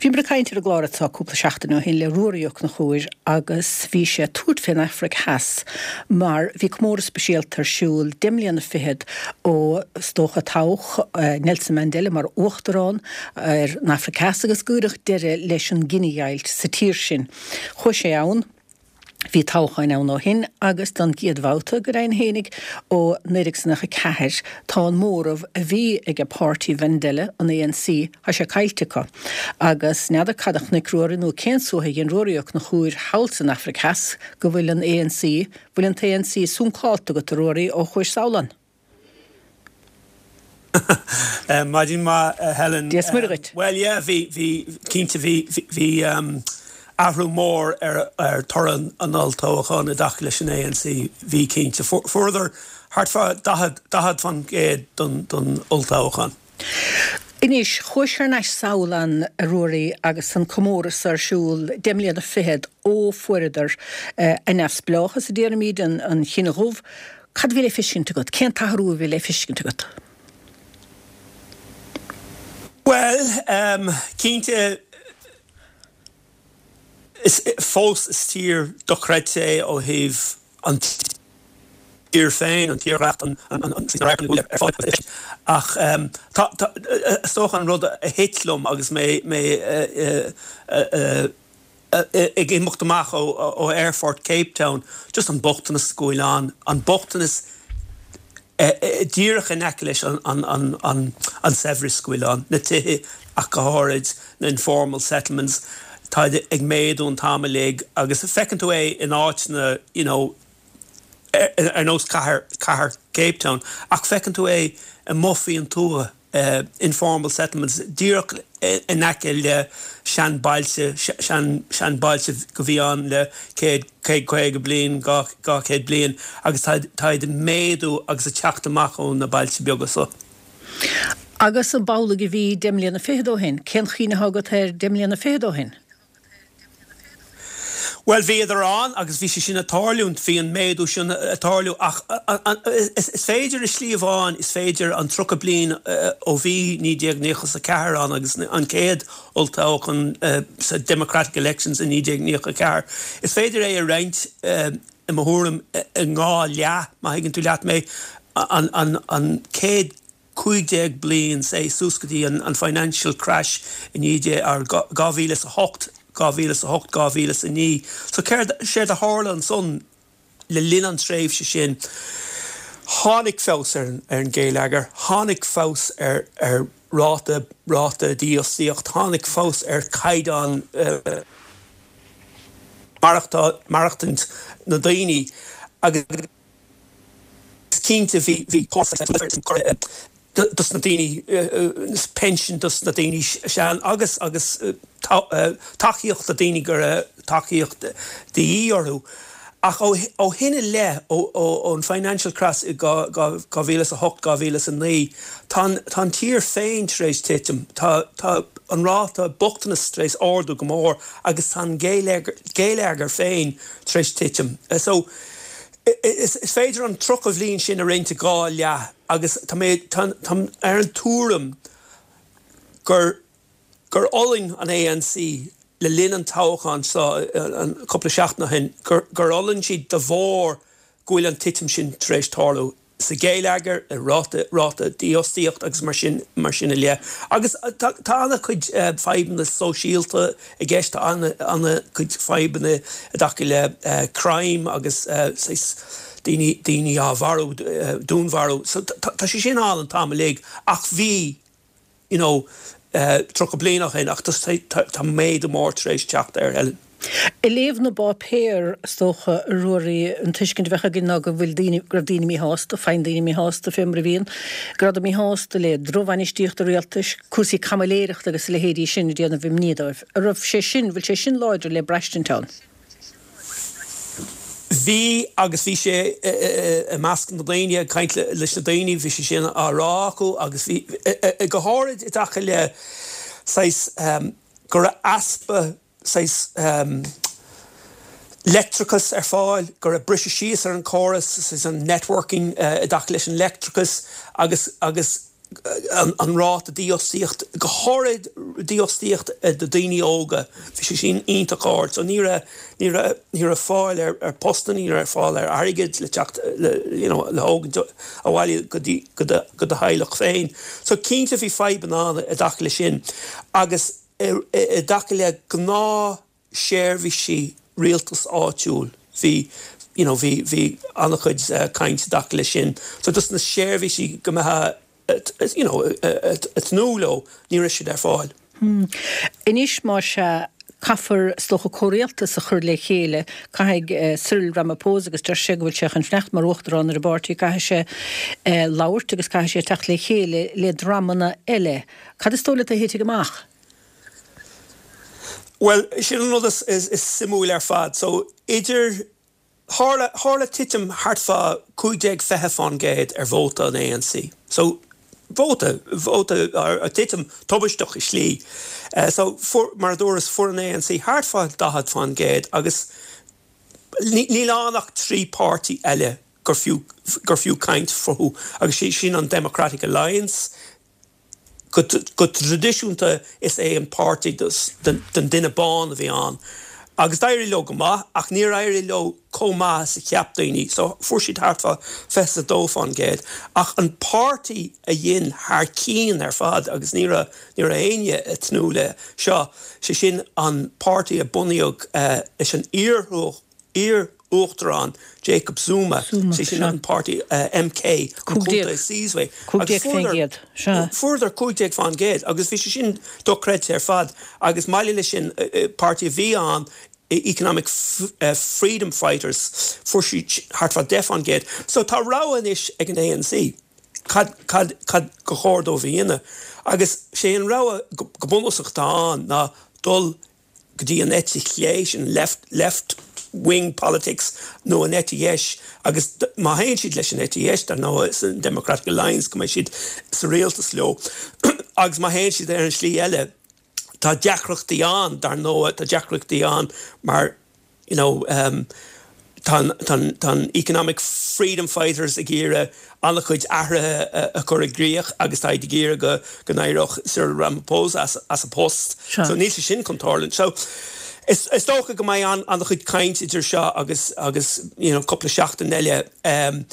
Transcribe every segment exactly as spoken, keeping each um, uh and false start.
Bhíomar ag caint ar an gclár atá cúpla seachtain ó shin le Ruairí Ó Conchúir agus bhí sé ag tabhairt fén Afraic Theas mar bhí comóradh speisialta ar siúl deich mbliana fichead ó is dócha toghadh Nelson Mandela mar uachtarán ar an Afraic Theas agus cuireadh deireadh leis an gcinedheighilt sa tír sin. Chuaigh sé ann Bhí toghcháin ann ó shin agus don gcéad bhabhta go deimhin fhéinig ó naoi déag nócha ceathair tá an móramh a bhí ag páirtí Mhandela an ANC tá sé caillte acu. Agus n'fheadar cad a chonaic Ruairí nó cén suaitheadh a dhein Ruairí Ó Conchúir thall san Afraic Theas go bhfuil an ANC, bhfuil an ANC suncálta agat a Ruairí ó chuais sall ann. Maidin mhaith Helen. Dia is Muire dhuit. Well yeah bhí bhí cinnte bhí bhí um, athrú mór ar ar toradh an olltoghcháin i dtaca leis an ANC bhí cinnte fuaireadar thart fá daichead faoin gcéad don don olltoghchán. Anois chuais thar n-ais sall ann a Ruairí agus an comóradh ar siúl deich mbliana fichead ó fuaireadar a neamhspleáchas a déarfaimid an, an chine dhubh, Cad bhí le feiscint agat, cén t-athrú a bhí le feiscint agat? Well, um, cinnte is fós is tír dochreidte é ó thaobh an tír féin an tírdhreach an ach is dócha an rud a thit liom agus mé mé ag imeacht amach ó ó Airport Cape Town, just an bochtanas go bhfuil ann, an bochtanas díreach in aice leis an an an an an saibhreas go bhfuil ann, na tithe ach go háirid na informal settlements tá ag méadú an t-am uilig agus feiceann tú é in áiteanna you know, ar nós cathair cathair Cape Town ach feiceann tú é amuigh faoin tuath uh, informal settlements díreach in aice le seanbhailte seanbhailte go bhí ann le céad céad caoga bliain dhá chéad bliain agus tá ag méadú agus ag teacht amach ó na bailte beaga so. Agus an b'amhlaidh a bhí deich mbliana fichead ó shin, cén chuimhne agat ar deich mbliana fichead ó shin? Well bhíodar ann agus bhí sé sin ag tarlúint bhí an méadú sin ag tarlú ach is féidir i slí amháin is féidir an tríocha bliain ó bhí naoi déag nócha a ceathair ann agus an chéad olltoghchán sa Democratic Elections i naoi déag nócha ceathair. Is féidir é a roinnt i mo thuairim i dhá leath má thuigeann tú leat mé an, an, an céad cúig déag bliain sé suas go dtí an, an financial crash i naoi déag ar dhá mhíle a hocht dhá mhíle a hocht dhá mhíle a naoi. So céard sé a tharla ansan le linn an tréimhse sin tháinig feabhas ar ar an gheilleagar, tháinig feabhas ar ar ráta ráta dífhostaíocht, tháinig feabhas ar chaighdeán uh, maireachtaint na daoine agus cinnte bhí bhí dos na daoine pension dos na daoine sean agus agus tacaíocht do daoine gur tacaíocht de dhíth orthu. Ach ó shin i leith ón financial crash i dhá mhíle a hocht dhá mhíle a naoi Tá an tír féin tar éis titim Tá an ráta bochtanas tar éis ardú go mór agus tá an geilleagar féin tar éis titim. So is féidir an tríocha bliain sin a roinnt i dhá leath agus tá ar an tuairim gur gur fhulaing an ANC le linn an toghcháin seo an cúpla seachtain ó shin gur gur fhulaing siad de bharr go bhfuil an titim sin tar éis tarlú sa gheilleagar i ráta ráta dífhostaíocht agus mar sin mar sin i leith. Agus tá an-chuid fadhbanna sóisialta i gceist an-chuid fadhbanna i dtaca le crime agus daoine daoine á mharú dúnmharú. So tá sé sin ann an t-am uilig ach bhí you know, tríocha bliain ó shin ach tá méadú mór tar éis teacht air Helen. I léamh na bpáipéar is dócha a Ruairí an tuiscint a bheadh againn ná go bhfuil daoine go raibh daoine míshásta, faigheann daoine míshásta fé mar a bhíonn, go raibh míshásta le drochbhainistíocht an rialtais, cúrsaí caimiléireachta agus a leithéidí sin ag déanamh imní dóibh. An raibh sé sin bhfuil sé sin láidir le braistint ann? Bhí agus bhí sé i measc na daoine ag caint leis na daoine, bhí sé sin á rá acu agus bhí go háirid i dtaca le saghas go raibh easpa saghas leictreachas ar fáil, go raibh briseadh síos ar an chóras saghas an networking i dtaca leis an leictreachas agus agus an, an ráta dífhostaíocht, go háirid dífhostaíocht do daoine óga, bhí sé sin iontach ard. So ní raibh ní raibh ní raibh fáil ar ar postanna, ní raibh fáil ar airgead le teacht le you know, le thógaint abhaile go dtí go do go do theaghlach féin. So cinnte bhí fadhbanna ann i dtaca le sin agus i i dtaca le gnáth seirbhísí rialtas áitiúil bhí you know, bhí bhí an-chuid uh, caint i dtaca le sin. So dus na seirbhísí go mbeifeá you know, ag tnúth leo, ní raibh siad ar fáil. Hmm. Anois má sea caithfear is dócha comhrialtas a chur le chéile, caithfidh uh, Cyril Ramaphosa agus deir sé go bhfuil sé chun fanacht mar uachtarán ar an bpáirtí, caithfidh sé uh, labhairt agus caithfidh sé teacht le chéile le dreamanna eile. Cad is dóigh leat a thitfidh amach? Well, sin an rud is, is, is suimiúil ar fad. So idir tharla tharla titim thart fá cúig déag fiche faoin gcéad ar vóta an A N C. So vóta vóta a titim tubaisteach i slí. Uh, so fuair, mar a dúras, fuair an A N C thart fá daichead faoin gcéad agus níl ann ach trí páirtí eile gur fiú gur fiú caint fúthu agus sé sin an Democratic Alliance, go, go traidisiúnta is é an páirtí den duine bán a bhí ann. Agus d'éirigh leo go maith ach níor éirigh leo chomh maith is a cheap daoine, so fuair siad thart fá fiche dó faoin gcéad. Ach an páirtí a dhein thar cinn ar fad agus ní raibh ní raibh éinne ag tnúth le seo, sé sin an páirtí a bunaíodh uh, leis an iar iar-uachtarán Jacob Zuma, sé sin an páirtí uh, M K Sizwe. Fuaireadar cúig déag faoin gcéad agus bhí sé sin dochreidte ar fad agus maille le sin uh, páirtí a bhí ann, Economic uh, Freedom Fighters, fuair siad thart fá deich faoin gcéad. So tá rogha anois ag an A N C. Cad cad cad ba chóir dóibh a dhéanamh. Agus sé an rogha go bunúsach atá ann ná dul go dtí an eite chlé, sin left left wing politics, nó an eite dheis, agus má théann siad leis an eite dheis dar ndóigh is an Democratic Alliance go mbeidh siad sa rialtas leo agus má théann siad ar an slí eile tá deacrachtaí ann dar ndóigh, tá deacrachtaí ann mar you know, um, tá tá Economic Freedom Fighters ag iarraidh an-chuid athruithe a chur i gcrích agus tá ag iarraidh go go n-éireodh Cyril Ramaphosa as, as a post. Sure. So níl sé sin chun tarlú. So is, is dócha go mbeidh an an-chuid caint idir seo agus agus you know, cúpla seachtain eile. Um,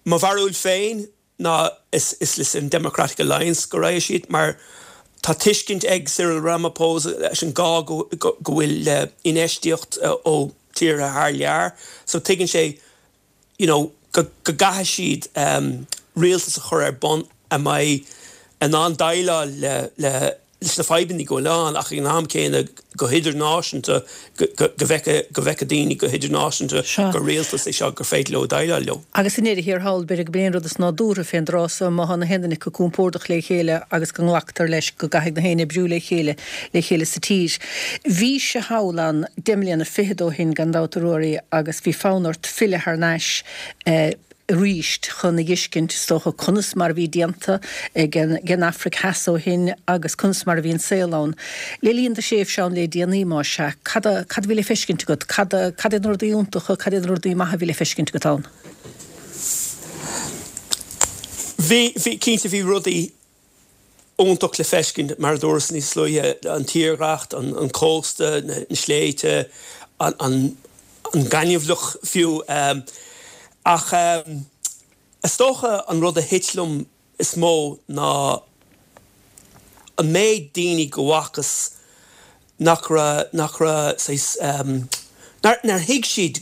Mo bharúil féin ná is, is leis an Democratic Alliance go raghaidh siad mar tá tuiscint ag Cyril Ramaphosa leis an gá go, go, go bhfuil uh, infheistíocht uh, ó tíortha thar lear, so tuigeann sé you know, go, go gcaithfidh siad um, rialtas a chur ar bun a mbeidh in ann déileáil le, le leis na fadhbanna go leán ach an am céanna go hidirnáisiúnta go bhfeicfeadh go bhfeicfeadh daoine go hidirnáisiúnta gur rialtas é seo gur féidir leo déileáil leo. Agus in ndeireadh thiar thall b'fhéidir gurb é an rud is nádúrtha fén dtráth so má tá na haon duine acu compordach le chéile agus go nglactar leis go gcaithfidh na héinne oibriú le chéile le chéile sa tír. Bhís thall ann deich mbliana fichead ó shin gan dabht, a Ruairí, agus bhí fonn ort filleadh thar n-ais eh, arís chun a fheiscint is dócha conas mar a bhí déanta ag an Afraic Theas ó shin agus conas mar a bhí an saol ann. Le linn do thréimhse ann le déanaí má sea, cad cad bhí le feiscint agat, cad cad iad na rudaí iontacha, cad iad na rudaí maithe a bhí le feiscint agat ann? Bhí bhí cinnte bhí rudaí iontach le feiscint mar a dúras níos luaithe, an tírdhreach, an, an cósta, na, na sléibhte, an, an, an gaineamhlach fiú. Um, ach um, is dócha an rud a thit liom is mó ná an méid daoine go bhfacas nach raibh nach raibh um, nár, nár thuig siad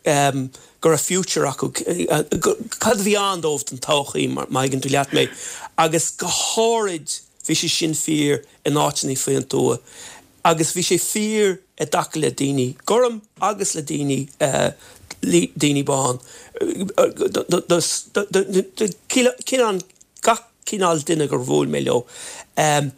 um, go raibh future acu, cad a bhí ann dóibh don todhchaí, má thuigeann tú leat mé, agus go háirid bhí sé sin fíor in áiteanna faoin tuath agus bhí sé fíor i dtaca le daoine gorm agus le daoine uh, daoine bán, cineál gach cineál duine gur bhuail mé leo. Um,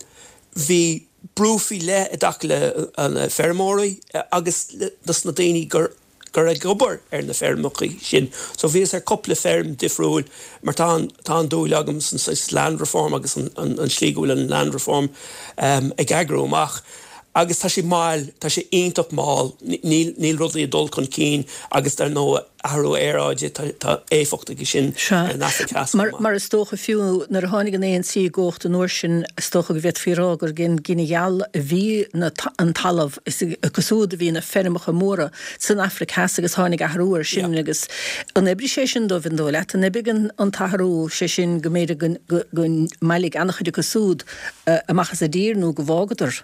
bhí brú faoi leith i dtaca le an feirmeoirí agus dos na daoine gur gur ag obair ar na feirmeacha sin. So bhíos ar cúpla feirm difriúil mar tá tá an-dúil agam san land reform agus an, an, an slí go bhfuil an land reform um, ag eagrú amach. Agus tá sé mall, tá sé iontach mall, níl níl rudaí ag dul chun cinn agus dar ndóigh athrú aeráide, tá tá éifeacht aige sin ar an Afraic Theas chomh maith. Mar is dócha fiú nuair a tháinig an ANC i gcumhacht an uair sin, is dócha go bhféadfaí a rá gur ag an gcine gheal a bhí na an talamh, is acu siúd a bhí na feirmeacha móra san Afraic Theas agus tháinig athrú air sin agus an oibrigh sé sin dóibh, an dóigh leat? An oibrigh an an t-athrú, sé sin go mb'fhéidir go go go mbailigh an-chuid acu siúd amach as an dtír nó go bhfágadar?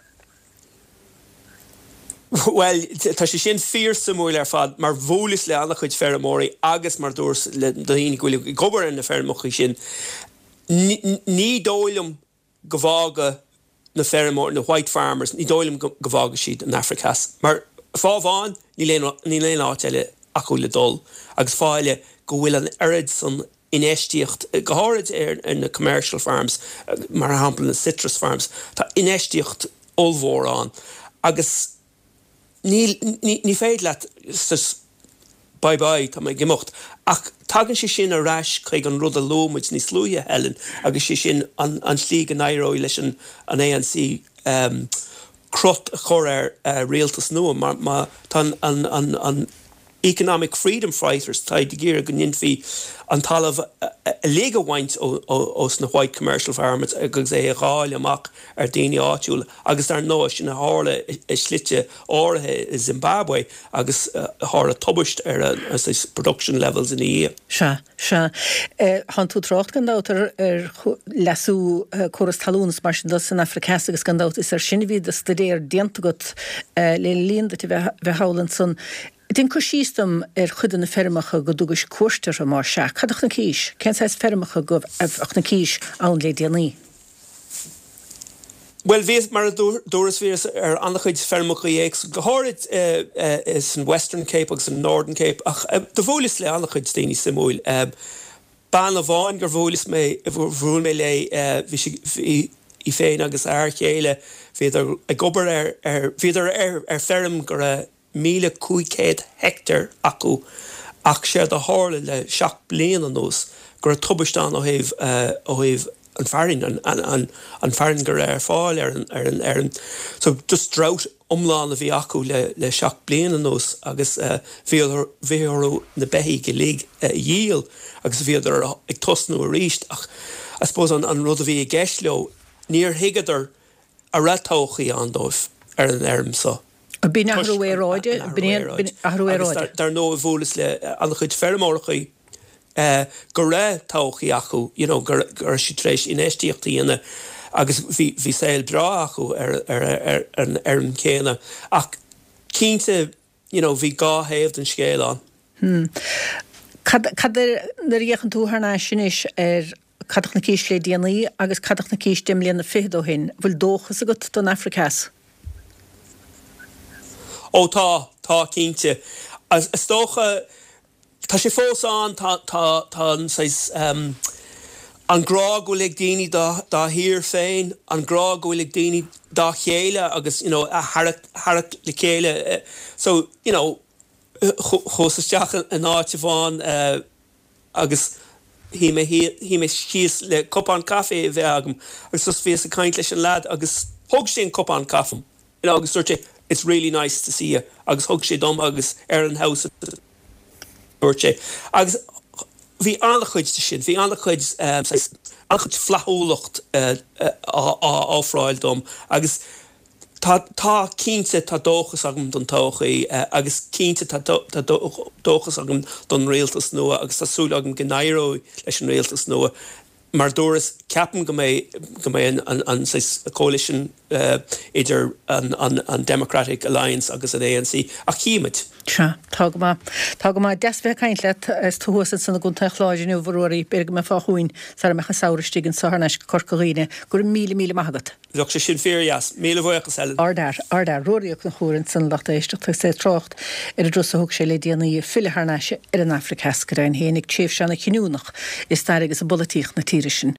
Bhuel, tá sé sin fíorsuimiúil ar fad mar bhuaileas le an-chuid feirmeoirí agus mar dúras le daoine go bhfuil ag obair ar na feirmeacha sin, ní dóigh liom go bhfága na feirmeoirí, na white farmers, ní dóigh liom go bhfága siad an Afraic Theas. Mar fáth amháin, níl aon, níl aon áit eile acu le dul agus fáth eile go bhfuil an oiread san infheistíocht, go háirid ar na commercial farms, mar shampla na citrus farms, tá infheistíocht ollmhór ann agus níl, ní, ní féidir leat just bye bye, tá mé ag imeacht. Ach tagann sé sin ar ais chuig an rud a luaigh muid níos luaithe, Helen, agus sé sin an, an tslí go n-éireoidh leis an, an ANC um, crot a chur ar uh, rialtas nua mar má tá an, an, an, an Economic Freedom Fighters, tá ag iarraidh go ndéanfaí an talamh uilig a bhaint ós na white commercial farmers agus é a dháileadh amach ar daoine áitiúla agus dar ndóigh sin a tharla i slite áirithe i Zimbabwe agus tharla tubaist ar an production levels ina dhiaidh. Sea, sea. Tánn tú ag trácht gan dabht ar ar leasú córas talún is mar sin de san Afraic Theas agus gan dabht is ar sin a bhí do staidéar déanta agat le linn duit a bheith thall ansan. Déan cur síos dom ar chuid de na feirmeacha go dtugais cuairt orthu, más ea. Cad a chonaicis? Cén saghas feirmeacha go a chonaicis ann le déanaí? Bhuel, bhíos, mar a dúras, bhíos ar an-chuid feirmeacha éagsúla, go háirid san Western Cape agus san Northern Cape, ach do bhuaileas le an-chuid daoine suimiúil. Bean amháin gur bhuaileas mé, bhuail mé léi, bhí sí, bhí í féin agus a fhear chéile, bhíodar ag obair ar, ar, bhíodar ar, ar feirm go raibh míle cúig chéad heicteár acu ach séard a tharla le seacht bliana anuas go raibh tubaiste ann ó thaobh ó thaobh an fearainn, an an an fearann go raibh ar fáil ar an ar an ar an so just drought iomlán a bhí acu le le seacht bliana anuas agus bhí bhí orthu na beithígh uilig a dhíol agus bhíodar ag tosnú arís ach I suppose an an rud a bhí i gceist leo níor thuigeadar a raibh todhchaí ann dóibh ar an fheirm so. B'in athrú aeráide, b'in athrú aeráide. Dar ndóigh bhuaileas le an-chuid feirmeoireachaí go raibh todhchaí acu, you know, go raibh siad tar éis infheistíocht a dhéanamh agus bhí bhí saol breá acu ar ar ar an fheirm chéanna. Ach cinnte, you know, bhí dhá thaobh den scéal ann. Hmm. Cad cad nuair a fhéachann tú thar n-ais anois ar cad a chonaicis le déanaí agus cad a chonaicis deich mbliana fichead ó shin, bhfuil dóchas agat don Afraic Theas? Ó tá, tá cinnte. Is dócha, tá sé fós ann, tá, tá, tá an saghas, an grá go bhfuil ag daoine dá, dá thír féin, an grá go bhfuil ag daoine dá chéile agus, you know, a tharrac, tharrac le chéile. So, you know, chuas isteach in áit amháin agus shuigh mé, shuigh mé síos le cupán caife a bheith agam agus just bhíos ag caint leis an leaid agus thug sé an cupán caife dom, you know, agus dúirt sé, It's really nice to see you agus thug sé dom agus ar an house a dúirt sé. Agus bhí an-chuid de sin, bhí an-chuid, saghas, an-chuid flaithiúlacht á ofráil dom agus tá, tá, cinnte, tá dóchas agam don todhchaí agus cinnte tá, tá dóchas agam don rialtas nua agus tá súil agam go n-éireoidh leis an rialtas nua. Mar dúras, ceapaim go mbeidh, go mbeidh an, an saghas coalition idir an, an, an Democratic Alliance agus an ANC, ach chífimid. Sea, tá go maith. Tá go maith. Deas bheith ag caint leat. Is tú thuas ansan i gContae an Chláir inniu, a Ruairí. B'fhéidir go mbeifeá chugainn sara mbeadh an samhradh istigh anso thar n-ais go Corca Dhuibhne. Go raibh míle, míle maith agat. Bheadh sé sin fíordheas. Míle buíochas, Helen. Ardfhear, ardfhear. Ruairí Ó Conchúir ansan, lucht éisteachta, agus é ag trácht ar an dturas a thug sé le déanaí, ag filleadh thar n-ais ar an Afraic Theas go deimhin féin, ag tréimhse ana-chinniúnach i stair agus i bpolaitíocht na tíre sin.